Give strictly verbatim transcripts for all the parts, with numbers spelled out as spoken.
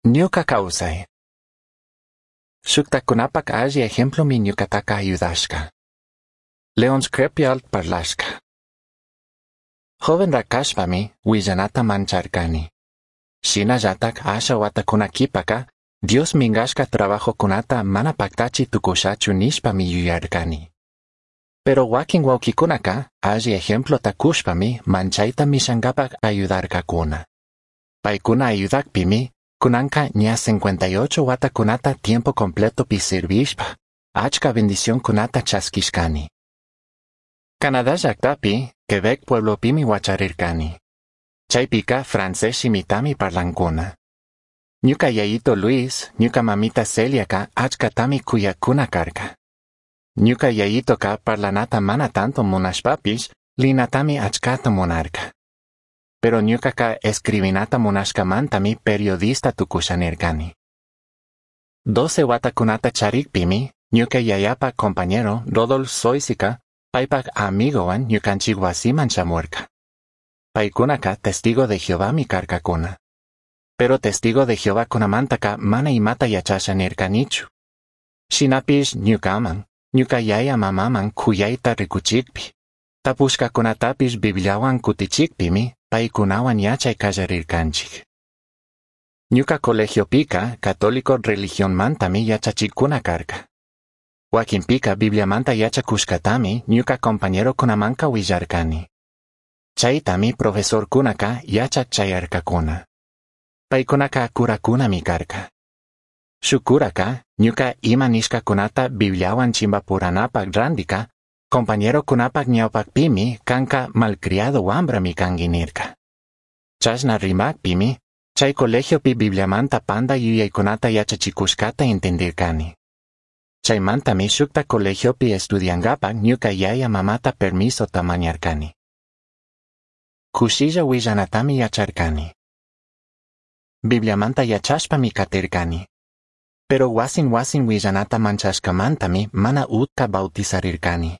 Ñuca causai. Shujtajcunapac alli ejemplomi ñucataca ayudashca. Leon Crepial parlashca. Jovenraj cashpami huillanata mancharcani. Shinallataj asha huatacuna q'uipaca Dios mingashca trabajocunata mana pajtachi tucushachu nishpami yuyarcani. Pero huaquin huauquicunaca alli ejemplota cushpami manchaita mishangapac ayudarcacuna. Paicuna ayudajpimi cunanca ña cincuenta y ocho huatacunata tiempo completopi sirvishpa, achca bendicioncunata chasquishcani. Canadá llajtapi, Quebec pueblopimi huacharircani. Chaipica francés shimitami parlancuna. Ñuca yayito Luis, ñuca mamita Celiaca achcatami cuyacuna carca. Ñuca yayitoca parlanata mana tanto munashpapish, linatami achcata munarca. Pero ñucaca escribinata munashcamantami periodista tucusha nircani. Doce huatacunata charikpimi, ñuca yayapa compañero Rodolf Zoisica, paipac amigowan ñucanchik wasiman shamurca. Paicunaca testigo de Jehová mi carcacuna. Pero testigo de Jehová kunamantaka mana imata yachasha nircanichu. Shinapish ñucaman, ñuca yaya mamaman kuyaita rikuchikpi. Tapushkakunatapish Bibliawan kutichikpimi, paicunawan yachay kallarirkanchik. Ñuca colegiopika católico religionmantami yachachikuna karka. Wakinpika Bibliamanta yachakushkatami ñuca compañerokunamanka willarkani. Chaytami profesorkunaka yachak chayarkakuna. Paikunaka curakunami karka. Shuk curaka ñuca ima nishkakunata Bibliawan chimbapuranapak randika, compañerokunapak ñawpakpimi kanka malcriado wambrami kanki nirka. Chashna rimakpimi, chay colegiopi Bibliamanta panda yuyaykunata yachachikushkata entendirkani. Chaymantami shukta colegiopi estudiangapak ñuca yaya mamata permisota mañarkani. Kushilla willanatami yacharkani. Bibliamanta yachashpami katirkani. Pero wasin wasin willanata manchashkamantami mana utka bautizarirkani.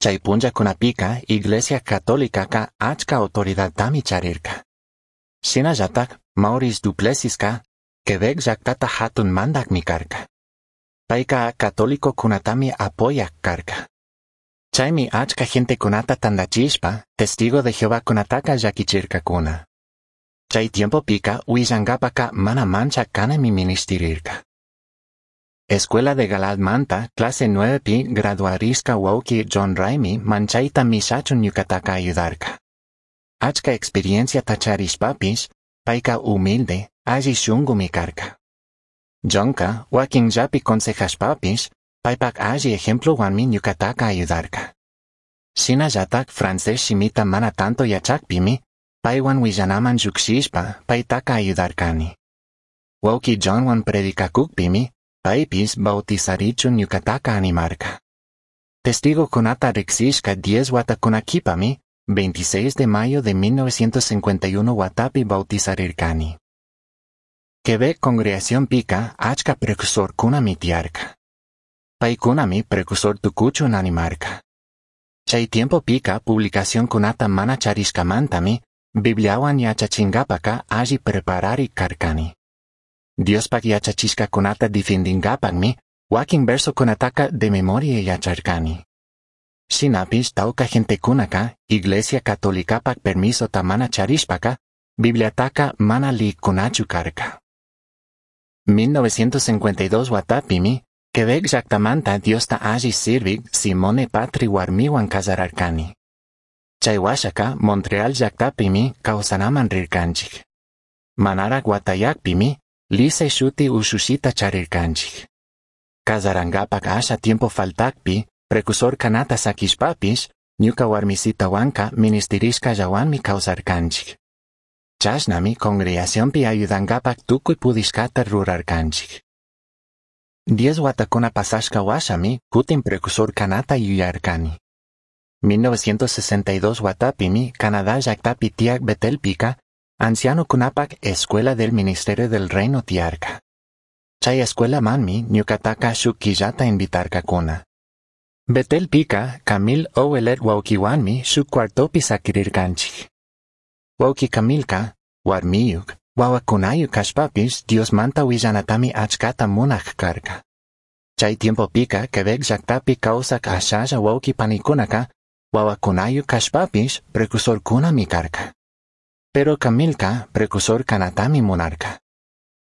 Chay punllakunapika Iglesia Católicaka achka autoridadtami charirka. Shinallatak Maurice Duplessiska Quebec llaktata hatun mandakmi karka. Payka católico kunatami apoyak karka. Chaymi achka gentekunata tandachishpa testigo de Jehová kunataka llakichirkakuna. Chay tiempopika willangapaka mana mancha kanami ministirirka. Escuela de Galaadmanta clase nueve graduarishka wauki John Raimi manchaita mishachun ñukataka ayudarka. Achka experiencia tacharishpapish, payka humilde, alli shungumi karka. Johnka wakinllapi consejashpapish, paypak alli ejemplowanmi ñukataka ayudarka. Shinallatak francés shimita mana tanto yachakpimi, paywan willanaman llukshishpa paytaka ayudarkani. Wauki Johnwan predikakukpimi, paypish bautizarichun ñukataka animarka. Testigokunata riksishka diez watakuna kipami, veintiséis de mayo de mil novecientos cincuenta y uno watapi bautizarirkani. Quebec congregación pika achka precursorkunami tiyarka. Paykunami precursor tukuchun animarka. Chay tiempo pika publicacionkunata mana charishkamantami, Bibliawan yachachingapaka alli preparari karkani. Diospak yachachishkakunata difendingapakmi, wakin versokunataka de memoria yacharkani. Shinapish tawka gentekunaka, Iglesia Catolicapak permisota mana charishpaka, Bibliataka mana liykunachu karka. mil novecientos cincuenta y dos watapimi, Quebec llaktamanta Diosta alli sirvik Simone Patri warmiwan kasararkani. Chay washaka Montreal llaktapimi kawsanaman rirkanchik. Manarak watayakpimi, Lise shuti ushushita charirkanchik. Kasarangapak asha tiempo faltakpi, precursor kanata sakishpapish, ñuka warmisitawanka ministerishkallawanmi kawsarkanchik. Chashnami congregacionpi ayudangapak tukuy pudishkata rurarkanchik. Diez watakuna pasashka washami kutin precursor kanata yuyarkani. mil novecientos sesenta y dos watapimi Canadá llaktapi tiak Betelpika, anciano kunapak Escuela del Ministerio del Reino tiarka. Chay escuela manmi ñukataka shuk killata invitarkakuna. Betelpika Camille Ouellet waukiwanmi shuk cuartopi sakirirkanchik. Wauki Camilka, warmiyuk, Huahuacunayu cashpapish Diosmanta huillanatami achcata munaj carca. Chai tiempopica Quebec llactapi causac ashalla huauqui panicunaca huahuacunayu cashpapish precursorcunami carca. Pero Camilca precursor canatami munarca.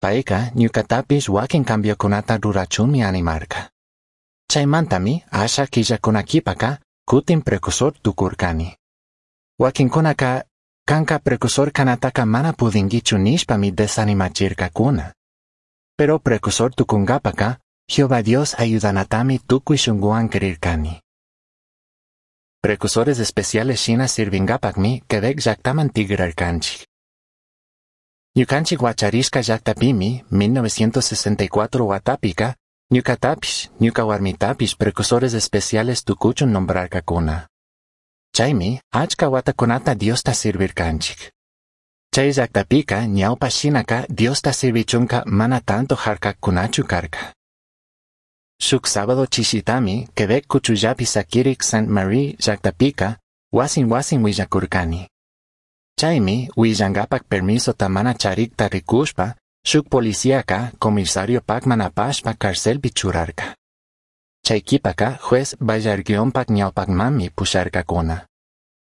Paica ñucatapish huaquin cambiocunata rurachunmi animarca. Chaimantami asha quillacuna quipaca cutin precursor tucurcani. Huaquincunaca canca precursor canataca mana pudinguichu nishpami desanimachircacuna. Pero precursor tucungapaca Jehová Dios ayudanatami tucui shunguan crircani. Precursores especiales shina sirvingapacmi Quebec llactaman tigrarcanchik. Ñukanchik huacharishka llactapimi mil novecientos sesenta y cuatro huatapica ñucatapish, ñuca warmitapish precursores especiales tucuchun nombrarcacuna. Chaymi achka watakunata Diosta sirvirkanchik. Chay llactapica ñawpa shinaka Diosta sirvichunka mana tanto harkakkunachu karka. Shuk sábado chishitami Quebec kuchullapi sakirik Saint Marie llactapica wasin wasin willakurkani. Chaymi willangapak permisota mana charikta rikushpa shuk policíaca comisario pakman apashpa carcelpi churarka. Chay kipaka juez Bayarguionpak ñawpakmanmi pusharkakuna.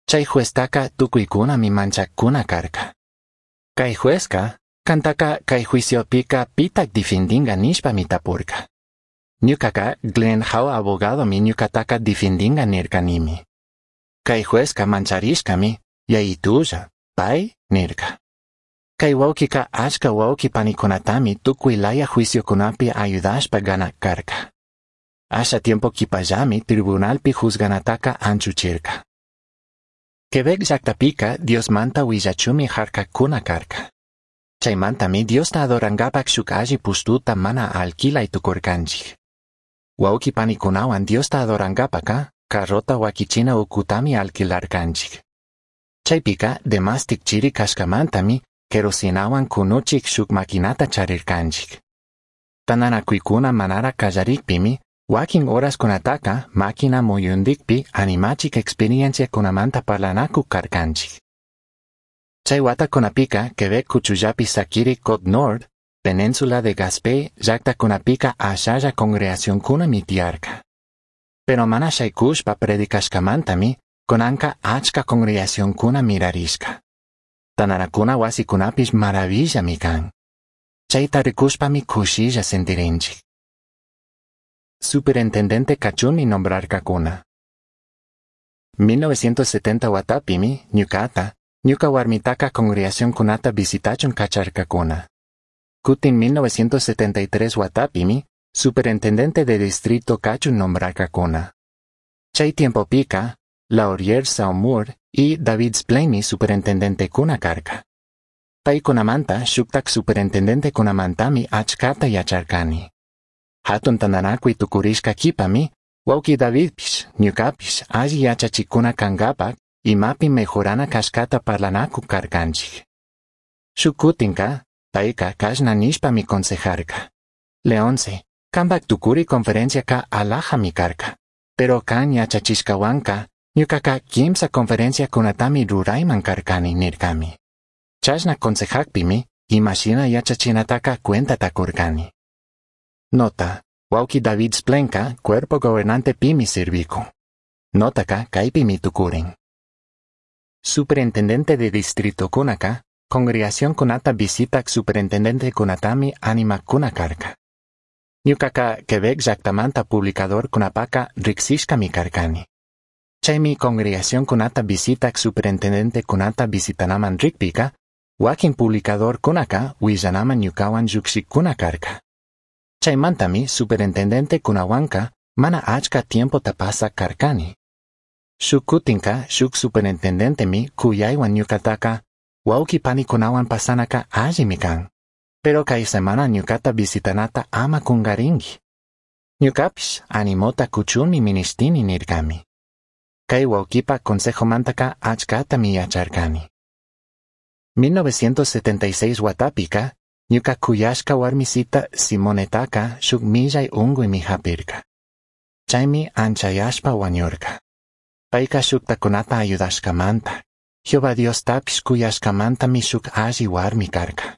Chay jueztaka tukuykunami manchakuna karka. Kay juezka kantaka kay juiciopika pitak difindinga nishpami tapurka. Ñukaka Glenn How abogadomi ñukataka difindinga nirkanimi. Kay juezka mancharishkami yayitulla, pay nirka. Kay wawkika achka wawki panikunatami tukuy laya juiciokunapi ayudashpa ganak karka. Asha tiempo kipallami tribunalpi juzganataka anchuchirka. Quebec llactapika Diosmanta willachumi harkakuna karka. Chaymantami Diosta adorangapak shuk alli pushtuta mana alquilay tukurkanchik. Wawki panikunawan Diosta adorangapaka carrota wakichina ukutami alquilarkanchik. Chaypika demastik chiri kashkamantami kerosinawan kunuchik shuk maquinata charirkanchik. Tananakuykuna manara kallarikpimi wakin horaskunataka máquina muyundikpi animachik experienciakunamanta parlanakuk karkanchik. Chay watakunapika Quebec kuchullapi sakiri Côte Nord, Península de Gaspé llaktakunapika ashalla congregacionkunami tiyarka. Pero mana shaykushpa predicashkamantami kunanka achka congregacionkuna mirarishka. Tananakuna wasikunapish maravillami kan. Chayta rikushpami kushilla sentirinchik. Superintendente kachunmi nombrarkakuna. mil novecientos setenta watapimi ñukata, ñuka warmitaka congregacionkunata visitachun kacharkakuna. Kutin mil novecientos setenta y tres watapimi superintendente de distrito kachun nombrarkakuna. Chay tiempopika, Laurier Saumur y David Splaine superintendente kuna karka. Paykunamanta shuktak superintendente kunamantami achkata yacharkani. Hatun tandanakuy tukurishka kipami, wawki Davidpish, ñukapish alli yachachikuna kangapak imapi mejorana kashkata parlanakuk karkanchik. Shuk kutinka, payka kashna nishpami consejarka. Leonce, kanpak tukuri conferenciaka alajami karka, pero kan yachachishkawanka, ñukaka kimsa conferenciakunatami rurayman karkani nirkami. Chashna consejakpimi, imashina yachachinataka cuentata kurkani. Nota, wawki David Splenka, cuerpo gobernante pimi sirviku. Notaka kaypimi tukurin. Superintendente de distrito kunaka, congregación kunata visitak superintendente kunatami animakuna karka. Ñukaka Quebec llaktamanta publicador kunapaka riksishkami karkani. Chaymi congregación kunata visitak superintendente kunata visitanaman rikpika, wakin publicador kunaka willanaman ñukawan llukshikuna karka. Chaymantami superintendente kunawanka mana achka tiempo tapasa karkani. Shuk kutinka shuk superintendentemi kuyaywan ñukataka wawki panikunawan pasanaka allimi kan. Pero kay semana ñukata visitanata ama kungarinki. Ñukapish animota kuchunmi ministini nirkami. Kay wawkipa consejomantaka achkatami yacharkani. mil novecientos setenta y seis watapika ñuka kuyashka warmisita Simonetaka shuk millay unkuymi hapirka. Chaymi anchayashpa wañurka. Payka shuktakunata ayudashkamanta, Jehová Diostapish kuyashkamantami shuk alli warmi karka.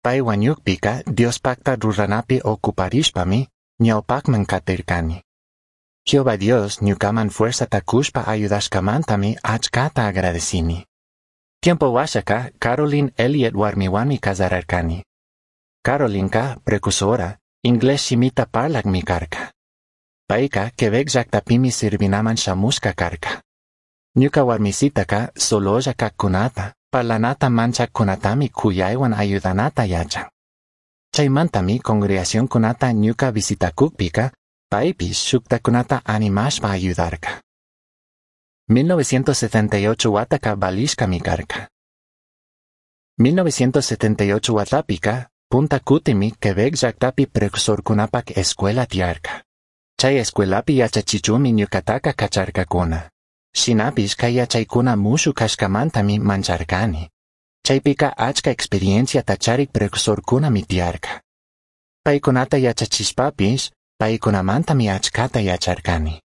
Pai huañujpica Diospajta ruranapi ocuparishpami ñaupajman catircani. Jehová Dios ñucaman fuerzata cushpa ayudashcamantami achcata agradecini. Tiempo huashaca Carolyn Elliott huarmihuanmi cazararcani. Carolinca precursora, inglés shimita parlacmi carca. Paica Quebec llactapimi sirvinaman shamushca carca. Ñuca huarmisitaca sololla cajcunata, parlanata manchajcunatami cuyaihuan ayudanata yachan. Chaimantami congregacioncunata ñuca visitacujpica, paipish shujtajcunata animashpa ayudarca. mil novecientos setenta y ocho huataca valishcami carca. mil novecientos setenta y ocho huatapica, punta cutimi Quebec llactapi precursorcunapac escuela tiyarca. Chay escuelapi yachachichunmi ñucataca cacharcacuna. Shinapish cay yachaicuna mushu cashcamantami mancharcani. Chaypica achca experienciata charik precursorcunami tiyarca. Paicunata yachachishpapish, paicunamantami achcata yacharcani.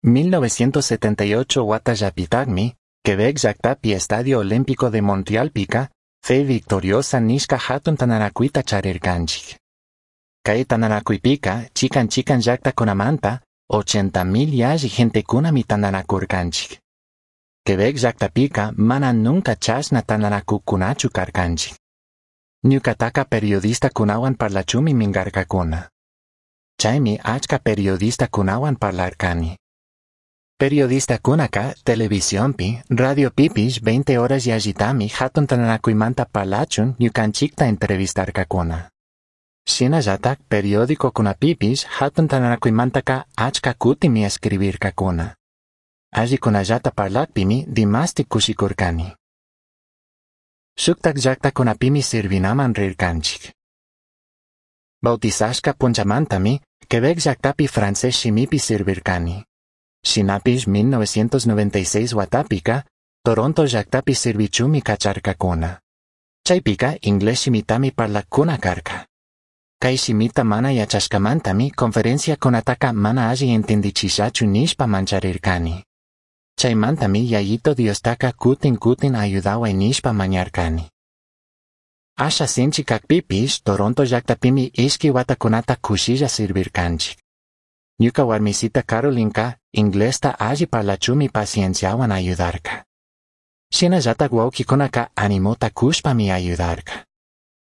mil novecientos setenta y ocho huatallapitacmi, Quebec llactapi Estadio Olímpico de Montrealpica, Fe Victoriosa nishca hatun tandanacuita charircanchik. Cay tandanacuipica, chican chican llactacunamanta, ochenta mil yalli gentecunami tandanacurcanchik. Quebec llactapica mana nunca chashna tandanacucunachu carcanchik. Ñucataca periodistacunahuan parlachunmi mingarcacuna. Chaymi achca periodistacunahuan parlarcani. Periodistacunaca televisionpi, radiopipish veinte horas yallitami hatun tandanacuimanta parlachun ñucanchicta entrevistarcacuna. Shinallatak periodicocunapipish hatun tandanacuimantaca achca cutimi escribircacuna. Allicunallata parlacpimi dimasti cushicurcani. Shuktak llactacunapimi sirvinaman rircanchik. Bautizashca punchamantami Quebec llactapi francés shimipi sirvircani. Shinapish mil novecientos noventa y seis huatapica, Toronto llactapi sirvichunmi cacharcacuna. Chaypica inglés shimitami parlaccuna carca. Cay shimita mana yachashcamantami conferenciacunataca mana alli entendichishachu nishpa mancharircani. Chaimantami Yayito Diostaca cutin cutin ayudahuay nishpa mañarcani. Asha sinchi cacpipish Toronto llactapimi ishqui huatacunata cushilla sirvircanchik. Ñuca huarmisita Carolinca inglesta alli parlachunmi pacienciahuan ayudarca. Shinallatak huauquicunaca animota cushpami ayudarca.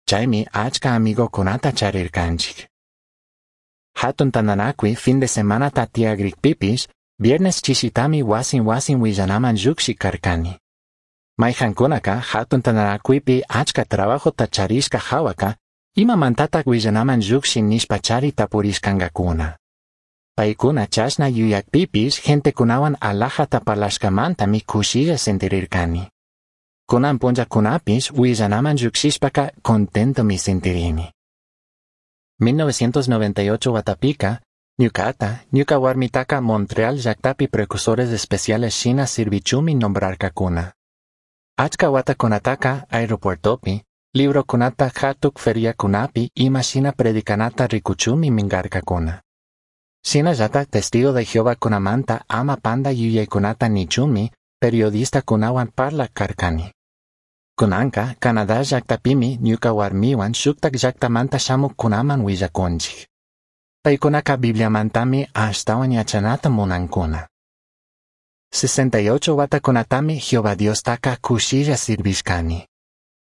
Chaymi achca amigocunata charircanchik. Hatun tandanacui fin de semana tatiagrikpipish, viernes chishitami wasin wasin willanaman llukshic carcani. Maijancunaca hatun tandanacuipi achca trabajota charishca jawaka, imamantatak willanaman llukshin nishpa chari tapurishcangacuna. Paicuna chashna yuyakpipish gentecunawan alajata parlashcamantami cushilla sentirircani. Cunan punllacunapish willanaman llukshishpaca contentomi sentirini. mil novecientos noventa y ocho huatapica, ñucata, ñuca huarmitaca Montreal llactapi precursores especiales shina sirvichunmi nombrarcacuna. Achca huatacunataca aeropuertopi, librocunata hatuk feriacunapi ima shina predicanata ricuchunmi mingarcacuna. Shinallatak testigo de Jehová cunamanta ama panda yuyaycunata nichunmi periodista cunahuan parlac carcani. Cunanca, Canadá llactapimi ñuca huarmihuan shuktak llactamanta shamuccunaman willacunchik. Paicunaca Bibliamantami ashtawan yachanata munancuna. sesenta y ocho huatacunatami Jehová Diostaca cushilla sirvishcani.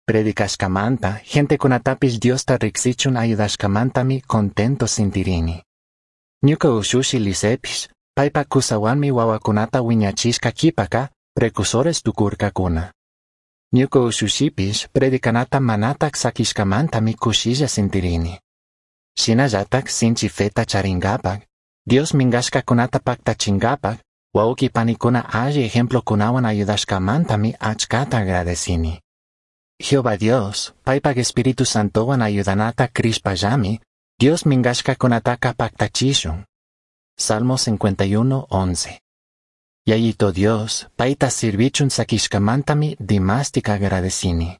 Predicashcamanta, gentecunatapish Diosta riksichun ayudashcamantami contento sintirini. Ñuca ushushi Lisepish, paipa cusahuanmi wawakunata wiñachishka kipaka, precursores tukurkakuna. Ñuca ushushipish predicanata manatak sakishkamantami kushilla sintirini. Shinallatak sinchi feta charingapak, Dios mingashkakunata paktachingapak, wauki panikuna alli ejemplokunawan ayudashkamantami achkata agradecini. Jehová Dios, paipak Espíritu Santowan ayudanata crishpallami, Dios mingashkakunataka paktachishun. Salmo cincuenta y uno, once. Yayito Dios, paita sirvichun sakishkamantami dimastik agradecini.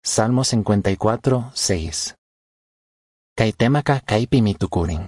Salmo cincuenta y cuatro, seis. Kay temaka kaypimi tukurin.